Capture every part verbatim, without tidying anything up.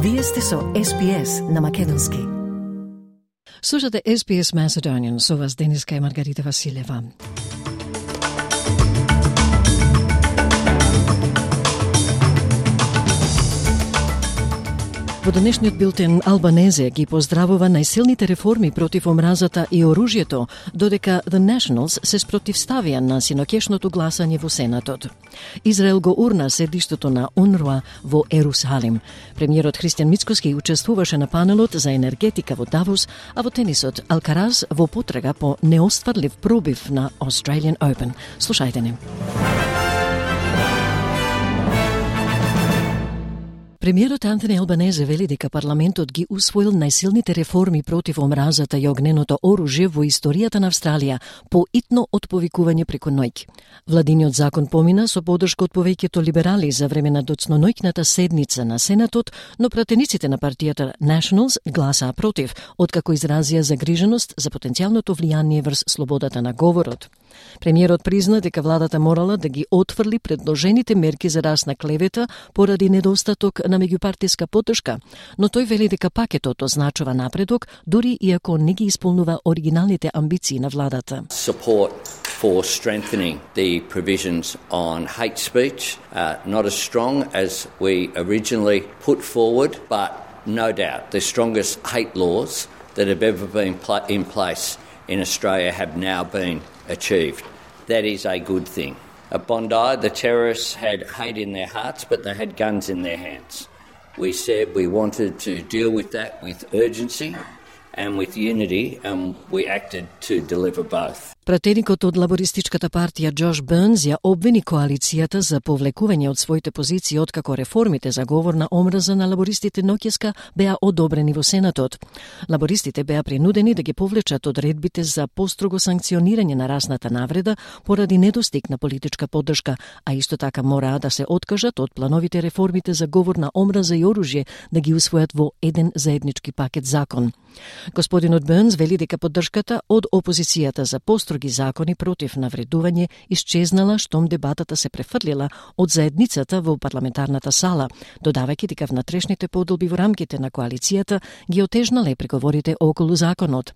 Вие сте со Ес Би Ес на македонски. Слушате Ес Би Ес Macedonian, со вас денеска е Маргарита Василева. Во денешниот билтен Албанезе ги поздравува најсилните реформи против омразата и оружјето, додека The Nationals се спротивставија на синоќешното гласање во Сенатот. Израел го урна седиштето на УНРУА во Ерусалим. Премиерот Христијан Мицкоски учествуваше на панелот за енергетика во Давос, а во тенисот Алкараз во потрага по неостварлив пробив на Australian Open. Слушајте не. Премиерот Антони Албанезе вели дека парламентот ги усвоил најсилните реформи против омразата и огненото оружје во историјата на Австралија, поитно од повикување преку ноќ. Владиниот закон помина со поддршка од повеќето либерали за време на доцноноќната седница на Сенатот, но пратениците на партијата Nationals гласаа против, откако изразија загриженост за потенцијалното влијание врз слободата на говорот. Премиерот призна дека владата морала да ги отфрли предложените мерки за расна клевета поради недостаток на меѓупартиска поддршка, но тој вели дека пакетот означува напредок, дури и ако не ги исполнува оригиналните амбиции на владата. Support for strengthening the provisions on hate speech, uh, not as strong as we originally put forward, but no doubt the strongest hate laws that have ever been pl- in place in Australia have now been achieved. That is a good thing. At Bondi, the terrorists had hate in their hearts, but they had guns in their hands. We said we wanted to deal with that with urgency and with unity, and we acted to deliver both. Пратеникот од лабористичката партија Джош Бернс ја обвини коалицијата за повлекување од своите позиции откако реформите за говор на омраза на лабористите ноќеска беа одобрени во Сенатот. Лабористите беа принудени да ги повлечат одредбите за построго санкционирање на расната навреда поради недостиг на политичка поддршка, а исто така мораа да се откажат од плановите реформите за говор на омраза и оружје да ги усвојат во еден заеднички пакет закон. Господинот Бернс вели дека поддршката од опозицијата за построги закони против навредување исчезнала штом дебатата се префрлила од заедницата во парламентарната сала, додавајќи дека внатрешните подолби во рамките на коалицијата ги отежнале преговорите околу законот.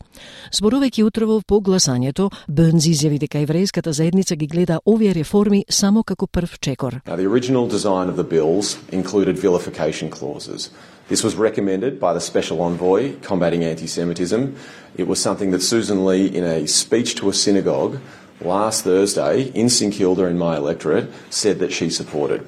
Зборувајќи утрово по гласањето, Бернс изјави дека еврејската заедница ги гледа овие реформи само како прв чекор. Now, the original design of the bills included vilification clauses. This was recommended by the Special Envoy combating anti-Semitism. It was something that Susan Lee, in a speech to a synagogue last Thursday in St Kilda in my electorate, said that she supported.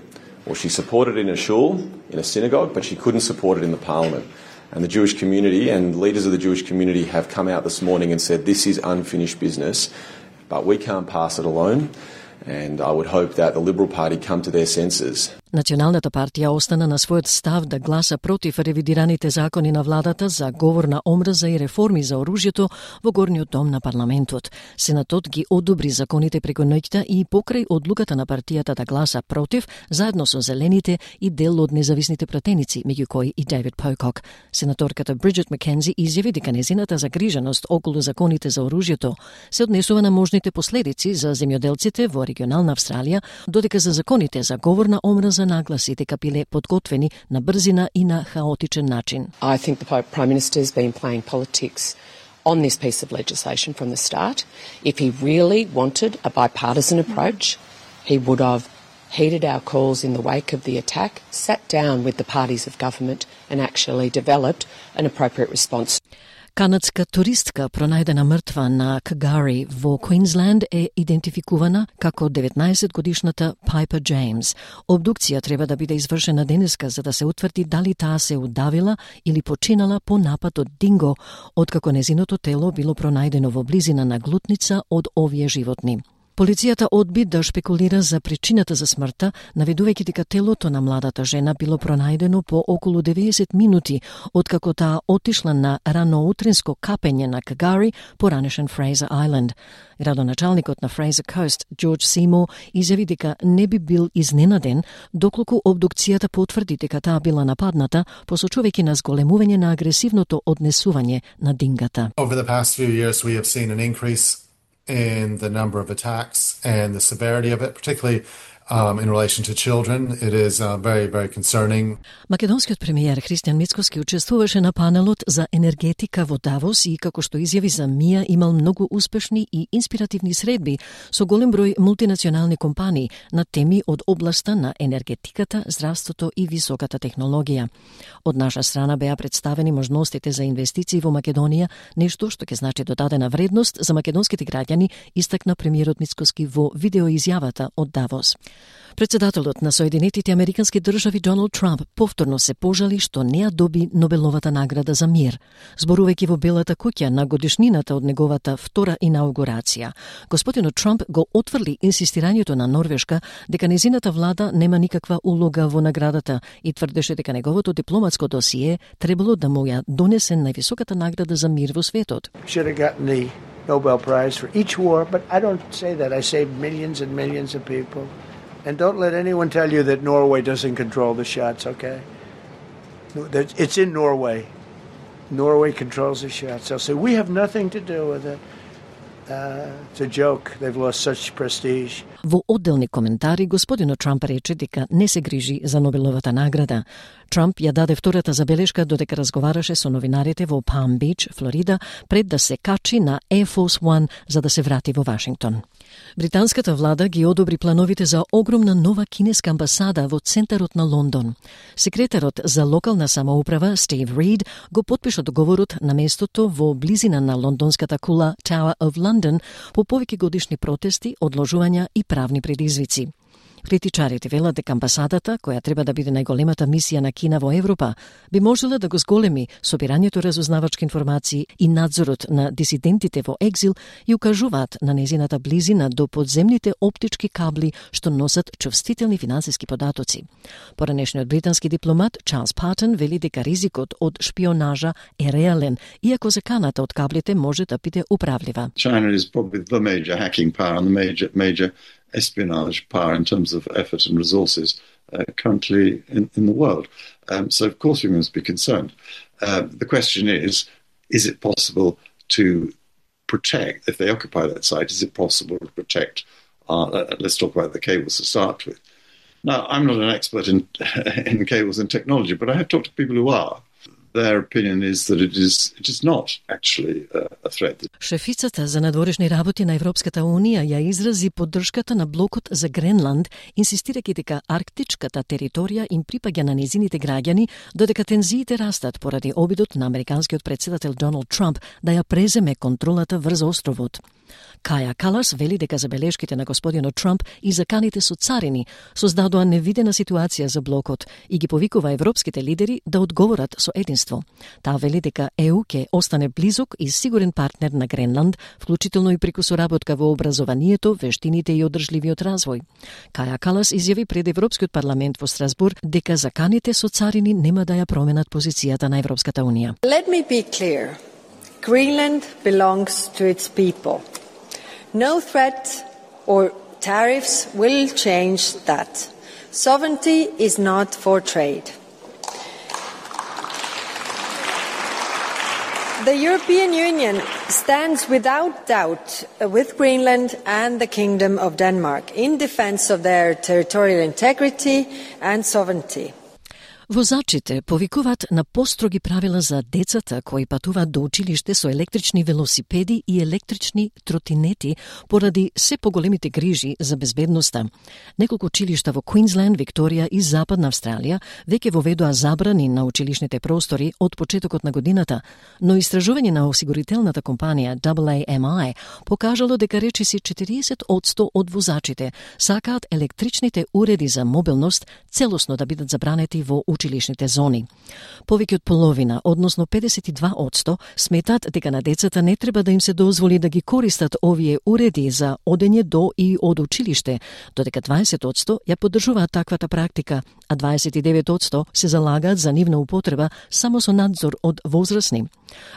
Well, she supported it in a shul, in a synagogue, but she couldn't support it in the parliament. And the Jewish community and leaders of the Jewish community have come out this morning and said this is unfinished business, but we can't pass it alone. And I would hope that the Liberal Party come to their senses. Националната партија остана на својот став да гласа против ревидираните закони на владата за говор на омраза и реформи за оружјето во горниот дом на парламентот. Сенатот ги одобри законите преку ноќта и покрај одлуката на партијата да гласа против, заедно со зелените и дел од независните пратеници, меѓу кои и Дейвид Покок. Сенаторката Бриджит Маккензи изјави дека незината загриженост околу законите за оружјето се однесува на можните последици за земјоделците во регионална Австралија, додека за законите за говор на омраза нагласи дека биле подготвени на брзина и на хаотичен начин. I think the Prime Minister's been playing politics on this piece of legislation from the start. If he really wanted a bipartisan approach, he would have heeded our calls in the wake of the attack, sat down with the parties of government and actually developed an appropriate response. Канадска туристка пронајдена мртва на Кагари во Квинсленд е идентификувана како деветнаесетгодишната Пайпер Джеймс. Обдукција треба да биде извршена денеска за да се утврди дали таа се удавила или починала по напад од динго, откако незиното тело било пронајдено во близина на глутница од овие животни. Полицијата одби да шпекулира за причината за смртта, наведувајќи дека телото на младата жена било пронајдено по околу деветдесет минути, откако таа отишла на раноутринско капење на Кагари, поранешен Фрейзер Ајленд. Градоначалникот на Фрейзер Кост, Џорџ Симо, изјави дека не би бил изненаден доколку обдукцијата потврди дека таа била нападната, посочувајќи на зголемување на агресивното однесување на дингата. Over the past few years we have seen an increase in the number of attacks and the severity of it, particularly Um, in relation to children, it is uh, very, very concerning. Македонскиот премиер Христијан Мицкоски учествуваше на панелот за енергетика во Давос и како што изјави за МИА имал многу успешни и инспиративни средби со голем број мултинационални компании на теми од областа на енергетиката, здравството и високата технологија. Од наша страна беа представени можностите за инвестиции во Македонија, нешто што ќе значи додадена вредност за македонските граѓани, истакна премиерот Мицкоски во видеоизјавата од Давос. Председателот на Соединетите Американски држави Доналд Трамп повторно се пожали што не ја доби Нобеловата награда за мир. Зборувајќи во Белата куќа на годишнината од неговата втора инаугурација, господинот Трамп го отврли инсистирањето на Норвешка дека незината влада нема никаква улога во наградата и тврдеше дека неговото дипломатско досие требало да му ја донесе највисоката награда за мир во светот. Nobel Prize for each war, but I don't say that. I say millions and millions of people. And don't let anyone tell you that Norway doesn't control the shots, okay? It's in Norway. Norway controls the shots. They'll say, we have nothing to do with it. Uh, it's a joke. They've lost such prestige. Во одделни коментари, господинот Трамп рече дека не се грижи за Нобеловата награда. Трамп ја даде втората забелешка додека разговараше со новинарите во Palm Beach, Флорида, пред да се качи на Air Force One за да се врати во Вашингтон. Британската влада ги одобри плановите за огромна нова кинеска амбасада во центарот на Лондон. Секретарот за локална самоуправа Стив Рид го потпиша договорот на местото во близина на лондонската кула Tower of London по повеќе годишни протести, одложувања и правни предизвици. Критичарите велат дека амбасадата, која треба да биде најголемата мисија на Кина во Европа, би можела да го зголеми собирањето разузнавачки информации и надзорот на дисидентите во екзил и укажуваат на незината близина до подземните оптички кабли што носат чувствителни финансиски податоци. Поранешниот британски дипломат Чарлс Патон вели дека ризикот од шпионажа е реален, иако заканата од каблите може да биде управлива. China is probably the major hacking power and the major major espionage power in terms of effort and resources uh, currently in, in the world. Um, so, of course, we must be concerned. Uh, the question is, is it possible to protect, if they occupy that site, is it possible to protect, uh, uh, let's talk about the cables to start with. Now, I'm not an expert in, in cables and technology, but I have talked to people who are. Their opinion is that it is it is not actually a threat. Шефицата за надворешни работи на Европската Унија ја изрази поддршката на блокот за Гренланд, инсистирајќи дека арктичката територија им припаѓа на незините граѓани, додека тензиите растат поради обидот на американскиот председател Доналд Трамп да ја преземе контролата врз островот. Каја Калас вели дека забелешките на господинот Трамп и заканите со царини создадоа невидена ситуација за блокот и ги повикува европските лидери да одговорат со единство. Таа вели дека Е У ќе остане близок и сигурен партнер на Гренланд, вклучително и преку соработка во образованието, вештините и одржливиот развој. Каја Калас изјави пред Европскиот парламент во Страсбург дека заканите со царини нема да ја променат позицијата на Европската Унија. Let me be clear. Greenland belongs to its people. No threat or tariffs will change that. Sovereignty is not for trade. The European Union stands without doubt with Greenland and the Kingdom of Denmark in defense of their territorial integrity and sovereignty. Возачите повикуваат на построги правила за децата кои патуваат до училиште со електрични велосипеди и електрични тротинети поради се поголемите грижи за безбедноста. Неколку училишта во Квинсленд, Викторија и Западна Австралија веќе воведоа забрани на училишните простори од почетокот на годината, но истражување на осигурителната компанија Double A M I покажало дека речиси четириесет одсто од возачите сакаат електричните уреди за мобилност целосно да бидат забранети во училишните зони. Повеќе од половина, односно педесет и два одсто, сметат дека на децата не треба да им се дозволи да ги користат овие уреди за одење до и од училиште, додека дваесет одсто ја поддржуваат таквата практика, а дваесет и девет одсто се залагаат за нивна употреба само со надзор од возрасни.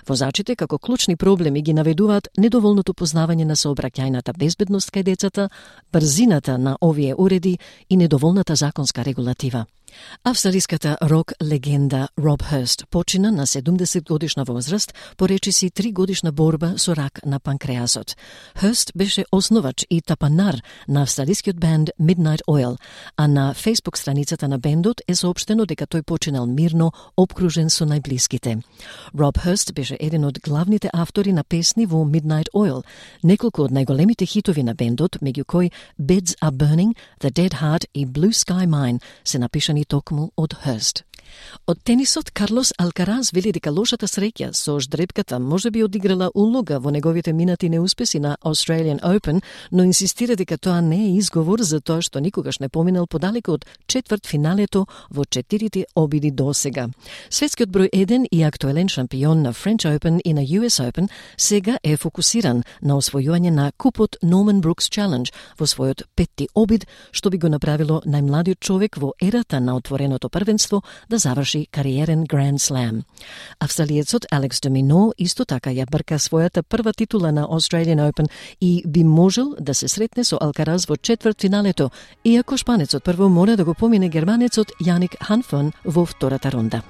Возачите како клучни проблеми ги наведуваат недоволното познавање на сообраќајната безбедност кај децата, брзината на овие уреди и недоволната законска регулатива. Австралиската рок легенда Роб Хърст почина на седумдесет годишна возраст по речиси три годишна борба со рак на панкреасот. Хърст беше основач и тапанар на австралискиот бенд Midnight Oil, а на Facebook страницата на бендот е соопштено дека тој починал мирно, обкружен со најблиските. Роб Хърст беше еден од главните автори на песни во Midnight Oil. Неколку од најголемите хитови на бендот, меѓу кои Beds Are Burning, The Dead Heart и Blue Sky Mine, се напишани токму од Хърст. Од тенисот, Карлос Алкараз вели дека лошата среќа со ждрепката може би одиграла улога во неговите минати неуспеси на Australian Open, но инсистира дека тоа не е изговор за тоа што никогаш не поминал подалеку од четврт финалето во четирите обиди досега. Светскиот број еден и актуелен шампион на French Open и на Ю Ес Open сега е фокусиран на освојување на купот Norman Brooks Challenge во својот петти обид, што би го направило најмладиот човек во ерата на отвореното првенство да заврши кариерен Grand Slam. Австралиецот Алекс де Мино исто така ја брка својата прва титула на Australian Open и би можел да се сретне со Алкараз во четврт финалето, иако шпанецот прво мора да го помине германецот Јаник Ханфон во втората рунда.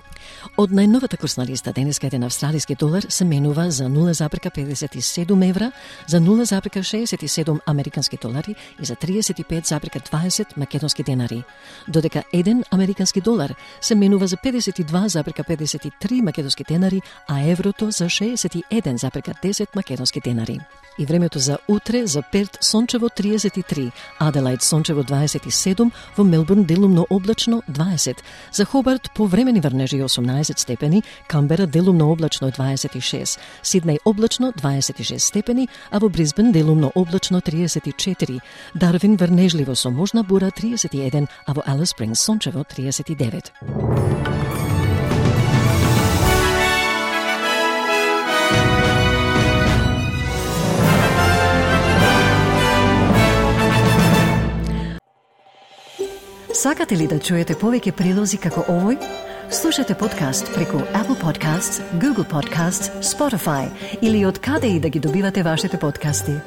Од најновата курсна листа денеска еден австралиски долар се менува за нула запирка педесет и седум евра, за нула запирка шеесет и седум американски долари и за триесет и пет запирка дваесет македонски денари, додека еден американски долар се менува за педесет и два запирка педесет и три македонски денари, а еврото за шеесет и еден запирка десет македонски денари. И времето за утре: за Перт сончево триесет и три, Аделаид сончево дваесет и седум, во Мелбурн делумно облачно дваесет, за Хобарт повремени врнежи осумнаесет степени, Камбера делумно облачно дваесет и шест, Сиднеј облачно дваесет и шест степени, а во Брисбен делумно облачно триесет и четири, Дарвин врнежливо со можна бура триесет и еден, а во Алис Спрингс сончево триесет и девет. Сакате ли да чуете повеќе прилози како овој? Слушате подкаст преку Apple Podcasts, Google Podcasts, Spotify или од каде и да ги добивате вашите подкасти.